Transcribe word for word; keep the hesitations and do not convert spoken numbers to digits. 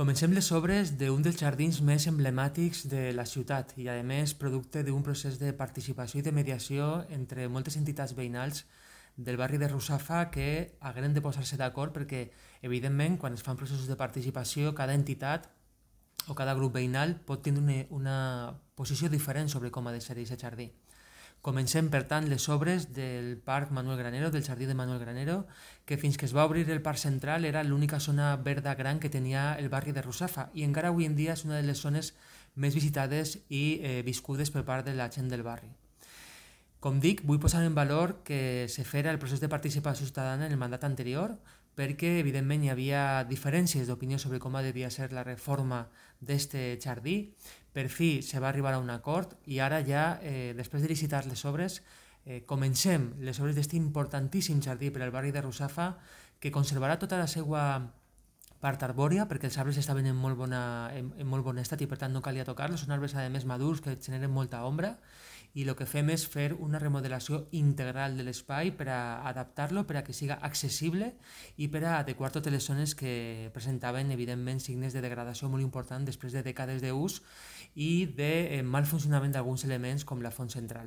Comencem les obres d'un dels jardins més emblemàtics de la ciutat i, a més, producte d'un procés de participació i de mediació entre moltes entitats veïnals del barri de Russafa que hagueren de posar-se d'acord perquè, evidentment, quan es fan processos de participació, cada entitat o cada grup veïnal pot tenir una, una posició diferent sobre com ha de ser aquest jardí. Comencem, per tant, les obres del Parc Manuel Granero, del Jardí de Manuel Granero, que fins que es va obrir el Parc Central era l'única zona verda gran que tenia el barri de Russafa i encara avui en dia és una de les zones més visitades i eh, viscudes per part de la gent del barri. Com dic, vull posar en valor que se fera el procés de participació ciutadana en el mandat anterior perquè, evidentment, hi havia diferències d'opinió sobre com devia ser la reforma d'aquest jardí. Per fi se va arribar a un acord i ara ja, eh, després de licitar les obres, eh, comencem les obres d'aquest importantíssim jardí per al barri de Russafa que conservarà tota la seva part arbòria perquè els arbres estaven en molt, bona, en, en molt bon estat i per tant no calia tocar-los. Són arbres a més madurs que generen molta ombra i el que fem és fer una remodelació integral de l'espai per a adaptar-lo, per a que siga accessible i per a adequar totes les zones que presentaven, evidentment, signes de degradació molt important després de dècades d'ús i de mal funcionament d'alguns elements com la font central.